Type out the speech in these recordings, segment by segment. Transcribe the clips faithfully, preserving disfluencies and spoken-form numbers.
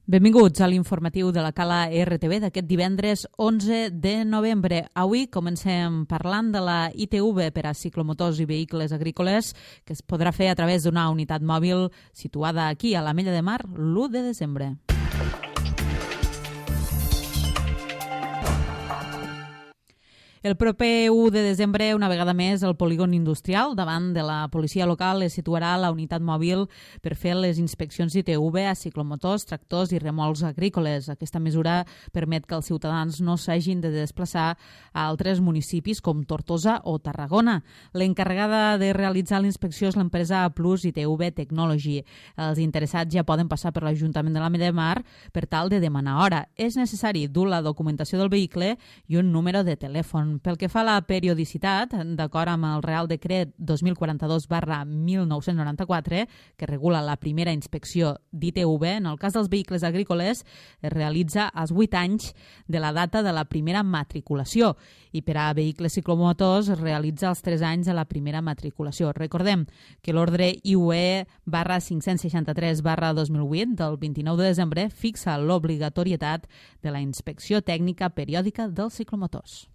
Benvinguts a l'informatiu de la Cala R T V d'aquest divendres onze de novembre. Avui comencem parlant de la I T V per a ciclomotors i vehicles agrícoles que es podrà fer a través d'una unitat mòbil situada aquí a l'Ametlla de Mar l'u de desembre. El proper u de desembre, una vegada més, el polígon industrial davant de la policia local es situarà la unitat mòbil per fer les inspeccions I T V a ciclomotors, tractors i remolcs agrícoles. Aquesta mesura permet que els ciutadans no s'hagin de desplaçar a altres municipis com Tortosa o Tarragona. L'encarregada de realitzar la inspecció és l'empresa A Plus I T V Technology. Els interessats ja poden passar per l'Ajuntament de l'Ametlla de Mar per tal de demanar hora. És necessari dur la documentació del vehicle i un número de telèfon. Pel que fa a la periodicitat, d'acord amb el Real Decret dos mil quaranta-dos barra mil nou-cents noranta-quatre, que regula la primera inspecció d'I T V, en el cas dels vehicles agrícoles es realitza als vuit anys de la data de la primera matriculació i per a vehicles ciclomotors es realitza als tres anys de la primera matriculació. Recordem que l'ordre I U E barra cinc-cents seixanta-tres barra dos mil vuit del vint-i-nou de desembre fixa l'obligatorietat de la inspecció tècnica periòdica dels ciclomotors.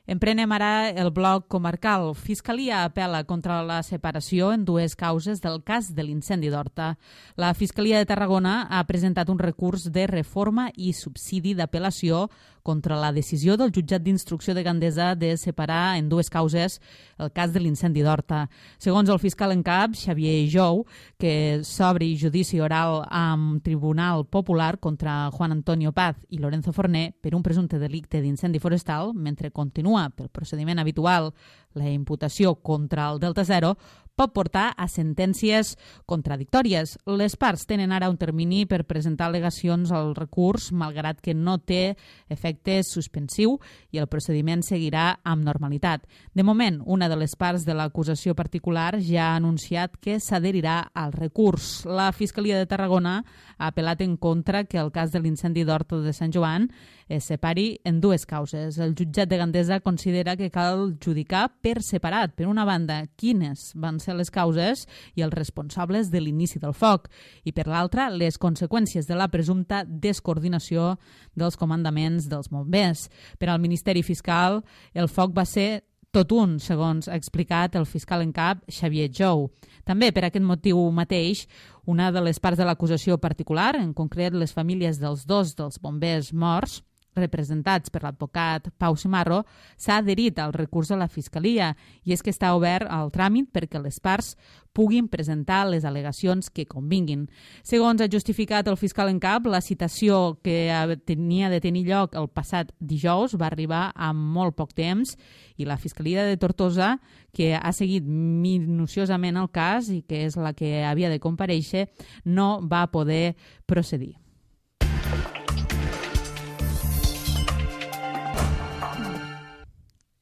Emprenem ara el bloc comarcal. Fiscalia apel·la contra la separació en dues causes del cas de l'incendi d'Horta. La Fiscalia de Tarragona ha presentat un recurs de reforma i subsidi d'apel·lació contra la decisió del jutjat d'instrucció de Gandesa de separar en dues causes el cas de l'incendi d'Horta. Segons el fiscal en cap, Xavier Jou, que s'obri judici oral amb Tribunal Popular contra Juan Antonio Paz i Lorenzo Forné per un presumpte delicte d'incendi forestal, mentre continua pel procediment habitual la imputació contra el Delta Zero, pot portar a sentències contradictòries. Les parts tenen ara un termini per presentar al·legacions al recurs, malgrat que no té efecte suspensiu i el procediment seguirà amb normalitat. De moment, una de les parts de l'acusació particular ja ha anunciat que s'adherirà al recurs. La Fiscalia de Tarragona ha apel·lat en contra que el cas de l'incendi d'Horta de Sant Joan es separi en dues causes. El jutjat de Gandesa considera que cal judicar per separat, per una banda, quines van ser les causes i els responsables de l'inici del foc, i per l'altra, les conseqüències de la presumpta descoordinació dels comandaments dels bombers. Per al Ministeri Fiscal, el foc va ser tot un, segons ha explicat el fiscal en cap Xavier Jou. També per aquest motiu mateix, una de les parts de l'acusació particular, en concret les famílies dels dos dels bombers morts, representats per l'advocat Pau Simarro, s'ha adherit al recurs de la Fiscalia i és que està obert el tràmit perquè les parts puguin presentar les al·legacions que convinguin. Segons ha justificat el fiscal en cap, la citació que tenia de tenir lloc el passat dijous va arribar amb molt poc temps i la Fiscalia de Tortosa, que ha seguit minuciosament el cas i que és la que havia de comparèixer, no va poder procedir.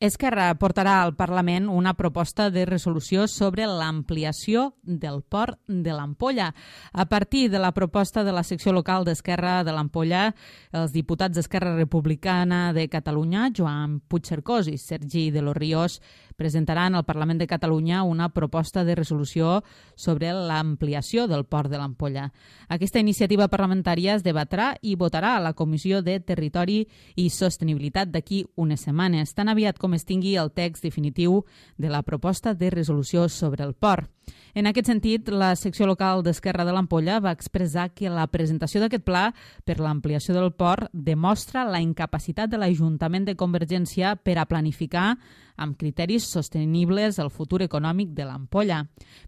Esquerra portarà al Parlament una proposta de resolució sobre l'ampliació del port de l'Ampolla. A partir de la proposta de la secció local d'Esquerra de l'Ampolla, els diputats d'Esquerra Republicana de Catalunya, Joan Puigcercós i Sergi de los Ríos, presentaran al Parlament de Catalunya una proposta de resolució sobre l'ampliació del port de l'Ampolla. Aquesta iniciativa parlamentària es debatrà i votarà a la Comissió de Territori i Sostenibilitat d'aquí unes setmanes, tan aviat com es tingui el text definitiu de la proposta de resolució sobre el port. En aquest sentit, la secció local d'Esquerra de l'Ampolla va expressar que la presentació d'aquest pla per l'ampliació del port demostra la incapacitat de l'Ajuntament de Convergència per a planificar amb criteris sostenibles el futur econòmic de l'Ampolla.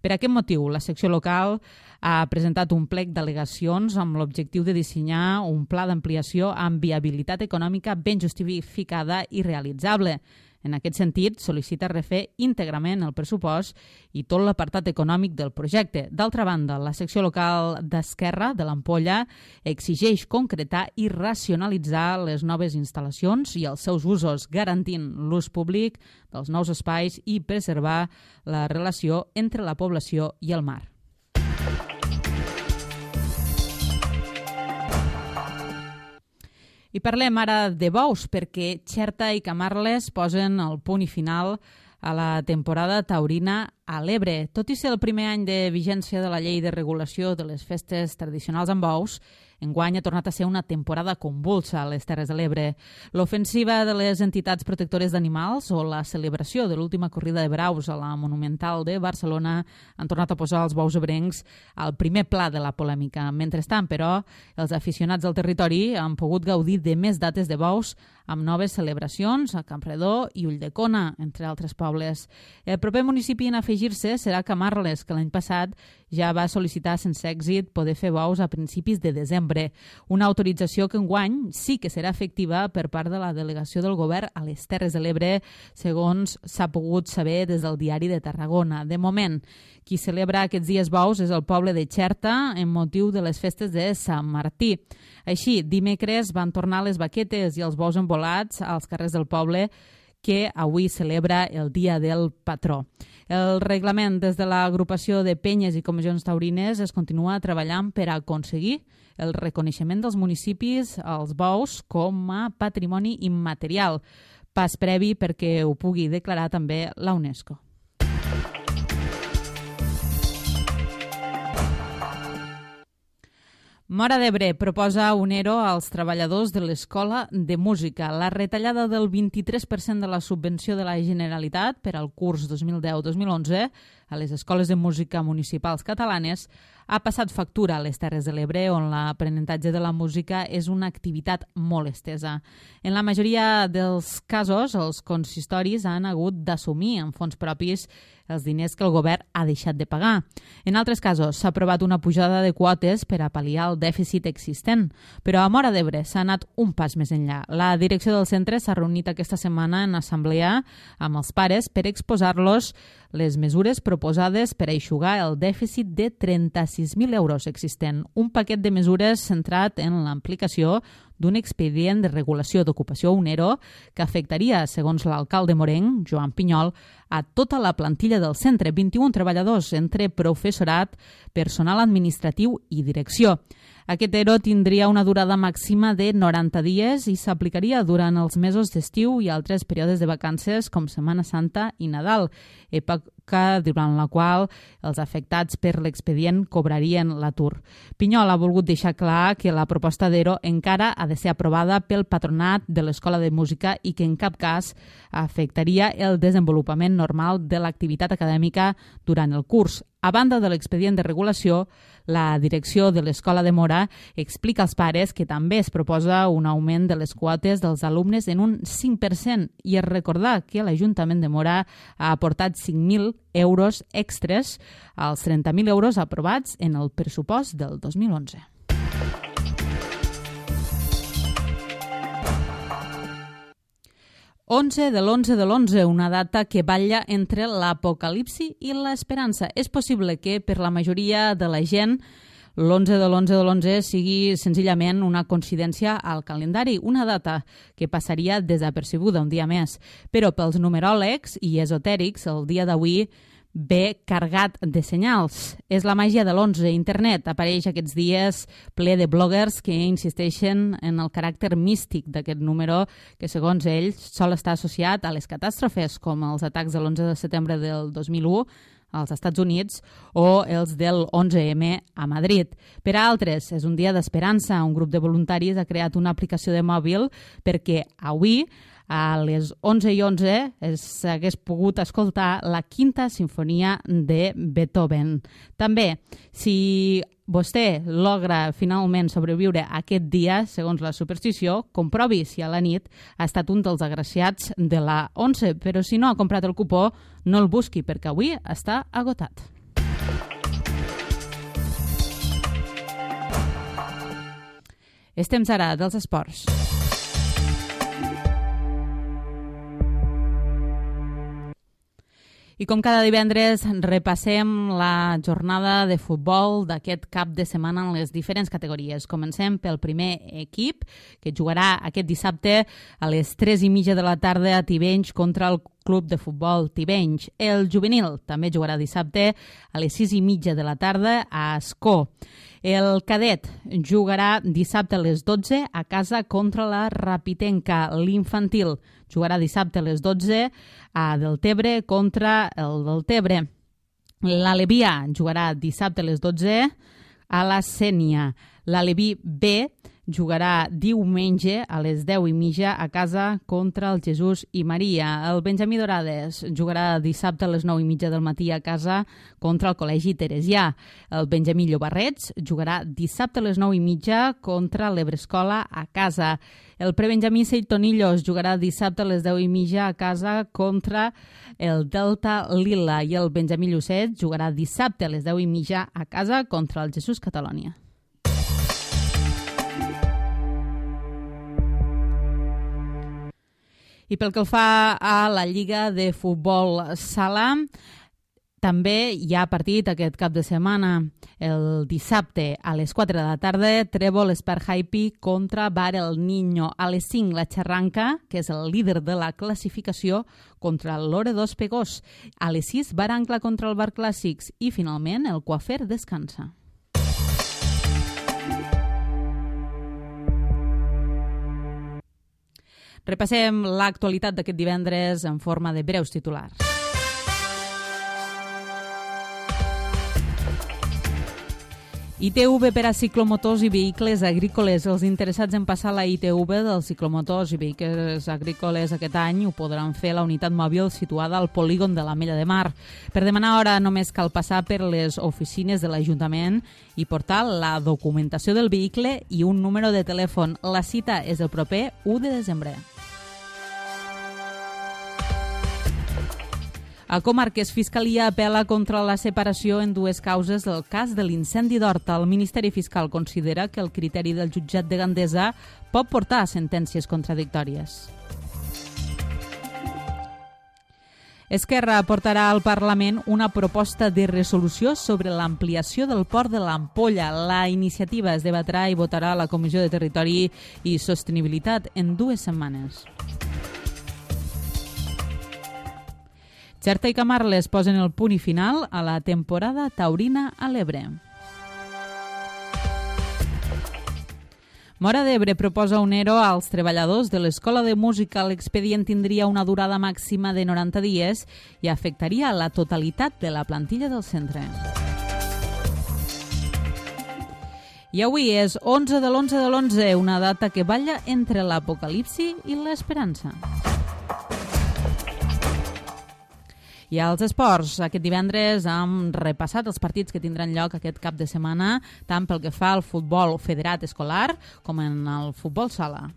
Per aquest motiu, la secció local ha presentat un plec d'al·legacions amb l'objectiu de dissenyar un pla d'ampliació amb viabilitat econòmica ben justificada i realitzable. En aquest sentit, sol·licita refer íntegrament el pressupost i tot l'apartat econòmic del projecte. D'altra banda, la secció local d'Esquerra de l'Ampolla exigeix concretar i racionalitzar les noves instal·lacions i els seus usos, garantint l'ús públic dels nous espais i preservar la relació entre la població i el mar. I parlem ara de bous, perquè Xerta i Camarles posen el punt i final a la temporada taurina a l'Ebre. Tot i ser el primer any de vigència de la llei de regulació de les festes tradicionals amb bous, enguany ha tornat a ser una temporada convulsa a les Terres de l'Ebre. L'ofensiva de les entitats protectores d'animals o la celebració de l'última corrida de braus a la Monumental de Barcelona han tornat a posar els bous ebrencs al primer pla de la polèmica. Mentrestant, però, els aficionats del territori han pogut gaudir de més dates de bous amb noves celebracions a Campredó i Ulldecona, entre altres pobles. El proper municipi en afegir-se serà Camarles, que l'any passat ja va sol·licitar sense èxit poder fer bous a principis de desembre. Una autorització que enguany sí que serà efectiva per part de la delegació del govern a les Terres de l'Ebre, segons s'ha pogut saber des del Diari de Tarragona. De moment, qui celebra aquests dies bous és el poble de Xerta en motiu de les festes de Sant Martí. Així, dimecres van tornar les baquetes i els bous envolats als carrers del poble, que avui celebra el Dia del Patró. El reglament des de l'agrupació de penyes i comissions taurines es continua treballant per aconseguir el reconeixement dels municipis als bous com a patrimoni immaterial, pas previ perquè ho pugui declarar també la UNESCO. Móra d'Ebre proposa un E R O als treballadors de l'Escola de Música. La retallada del vint-i-tres per cent de la subvenció de la Generalitat per al curs dos mil deu dos mil onze a les escoles de música municipals catalanes ha passat factura a les Terres de l'Ebre, on l'aprenentatge de la música és una activitat molt estesa. En la majoria dels casos, els consistoris han hagut d'assumir en fons propis els diners que el govern ha deixat de pagar. En altres casos, s'ha aprovat una pujada de quotes per a pal·liar el dèficit existent, però a Móra d'Ebre s'ha anat un pas més enllà. La direcció del centre s'ha reunit aquesta setmana en assemblea amb els pares per exposar-los les mesures proposades per a eixugar el dèficit de trenta-sis mil euros existent. Un paquet de mesures centrat en l'aplicació d'un expedient de regulació d'ocupació, un E R O, que afectaria, segons l'alcalde morenc, Joan Pinyol, a tota la plantilla del centre, vint-i-un treballadors entre professorat, personal administratiu i direcció. Aquest E R O tindria una durada màxima de noranta dies i s'aplicaria durant els mesos d'estiu i altres períodes de vacances com Setmana Santa i Nadal, època durant la qual els afectats per l'expedient cobrarien l'atur. Pinyol ha volgut deixar clar que la proposta d'E R O encara ha de ser aprovada pel patronat de l'Escola de Música i que en cap cas afectaria el desenvolupament normal de l'activitat acadèmica durant el curs. A banda de l'expedient de regulació, la direcció de l'Escola de Móra explica als pares que també es proposa un augment de les quotes dels alumnes en un cinc per cent i es recordar que l'Ajuntament de Móra ha aportat cinc mil euros extres als trenta mil euros aprovats en el pressupost del dos mil onze. onze de l'onze de l'onze, una data que balla entre l'apocalipsi i l'esperança. És possible que per la majoria de la gent l'onze de l'onze de l'onze sigui senzillament una coincidència al calendari, una data que passaria desapercebuda un dia més. Però pels numeròlegs i esotèrics, el dia d'avui ve cargat de senyals. És la màgia de l'onze. Internet apareix aquests dies ple de bloggers que insisteixen en el caràcter místic d'aquest número que, segons ells, sol estar associat a les catàstrofes com els atacs de l'onze de setembre del dos mil u als Estats Units o els del onze eme a Madrid. Per a altres, és un dia d'esperança. Un grup de voluntaris ha creat una aplicació de mòbil perquè avui a les onze i onze s'hagués pogut escoltar la quinta sinfonia de Beethoven. També, si vostè logra finalment sobreviure aquest dia, segons la superstició, comprovi si a la nit ha estat un dels agraciats de la onze, però si no ha comprat el cupó, no el busqui, perquè avui està agotat. És temps ara dels esports. I com cada divendres repassem la jornada de futbol d'aquest cap de setmana en les diferents categories. Comencem pel primer equip, que jugarà aquest dissabte a les tres i mitja de la tarda a Tivenys contra el Club de Futbol Tivenys. El juvenil també jugarà dissabte a les sis i mitja de la tarda a Ascó. El cadet jugarà dissabte a les dotze a casa contra la Rapitenca. L'infantil jugarà dissabte a les dotze a Deltebre contra el Deltebre. L'Alevià jugarà dissabte a les dotze a la Sénia. L'Aleví B jugarà diumenge a les deu i mitja a casa contra el Jesús i Maria. El Benjamí Dorades jugarà dissabte a les nou i mitja del matí a casa contra el Col·legi Teresià. El Benjamí Llobarrets jugarà dissabte a les nou i mitja contra l'Ebrescola a casa. El prebenjamí Seitonillos jugarà dissabte a les deu i mitja a casa contra el Delta Lila i el Benjamí Llucet jugarà dissabte a les deu i mitja a casa contra el Jesús Catalònia. I pel que fa a la Lliga de Futbol Sala, també hi ha partit aquest cap de setmana. El dissabte a les quatre de la tarda, Trèvol Esparjaipi contra Bar El Niño. A les cinc, la Xerranca, que és el líder de la classificació, contra l'Ore dos Pegós. A les sis, Bar Ancla contra el Bar Clàssics. I finalment, el Coafer descansa. Repassem l'actualitat d'aquest divendres en forma de breus titulars. I T V per a ciclomotors i vehicles agrícoles. Els interessats en passar la I T V dels ciclomotors i vehicles agrícoles aquest any ho podran fer a la unitat mòbil situada al polígon de l'Ametlla de Mar. Per demanar hora només cal passar per les oficines de l'Ajuntament i portar la documentació del vehicle i un número de telèfon. La cita és el proper u de desembre. A Comarques, Fiscalia apel·la contra la separació en dues causes del cas de l'incendi d'Horta. El Ministeri Fiscal considera que el criteri del jutjat de Gandesa pot portar a sentències contradictòries. Esquerra portarà al Parlament una proposta de resolució sobre l'ampliació del port de l'Ampolla. La iniciativa es debatrà i votarà a la Comissió de Territori i Sostenibilitat en dues setmanes. Xerta i Camarles posen el punt i final a la temporada taurina a l'Ebre. Móra d'Ebre proposa un ERO als treballadors de l'Escola de Música. L'expedient tindria una durada màxima de noranta dies i afectaria la totalitat de la plantilla del centre. I avui és onze de l'onze de l'onze, una data que balla entre l'apocalipsi i l'esperança. I als esports, aquest divendres hem repassat els partits que tindran lloc aquest cap de setmana, tant pel que fa al futbol federat escolar com en el futbol sala.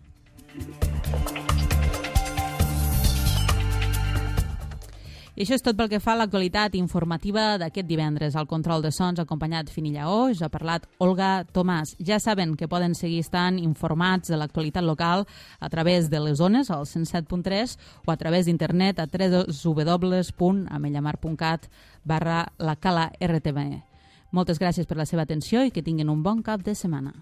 I això és tot pel que fa a l'actualitat informativa d'aquest divendres. Al control de sons, acompanyat Fini Lleó, us ha parlat Olga Tomàs. Ja saben que poden seguir estant informats de l'actualitat local a través de les ones, al cent set punt tres, o a través d'internet a w w w punt amellamar punt cat barra la cala R T V. Moltes gràcies per la seva atenció i que tinguin un bon cap de setmana.